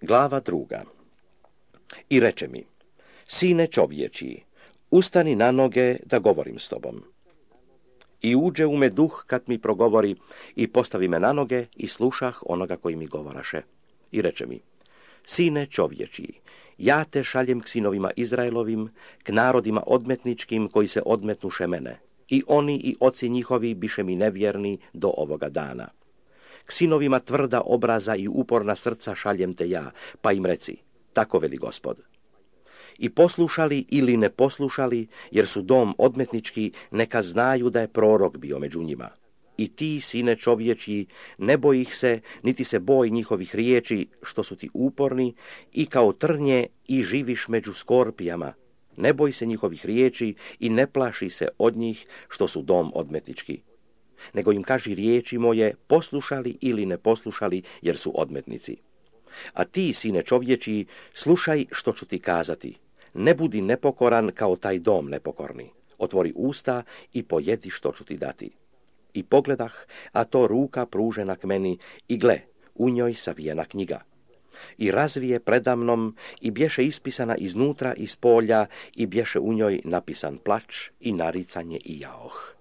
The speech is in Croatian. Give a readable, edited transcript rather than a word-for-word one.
Glava 2. I reče mi: Sine čovječiji, ustani na noge da govorim s tobom. I uđe u me duh kad mi progovori i postavi me na noge i slušah onoga koji mi govoraše. I reče mi: Sine čovječiji, ja te šaljem k sinovima Izraelovim, k narodima odmetničkim koji se odmetnuše mene. I oni i oci njihovi biše mi nevjerni do ovoga dana. K sinovima tvrda obraza i uporna srca šaljem te ja, pa im reci: tako veli Gospod. I poslušali ili ne poslušali, jer su dom odmetnički, neka znaju da je prorok bio među njima. I ti, sine čovječji, ne boj ih se, niti se boj njihovih riječi, što su ti uporni, i kao trnje i živiš među skorpijama. Ne boj se njihovih riječi i ne plaši se od njih, što su dom odmetnički. Nego im kaži riječi moje, poslušali ili ne poslušali, jer su odmetnici. A ti, sine čovječji, slušaj što ću ti kazati. Ne budi nepokoran kao taj dom nepokorni. Otvori usta i pojedi što ću ti dati. I pogledah, a to ruka pružena k meni, i gle, u njoj savijena knjiga. I razvije predamnom, i bješe ispisana iznutra iz polja, i bješe u njoj napisan plač i naricanje i jaoh.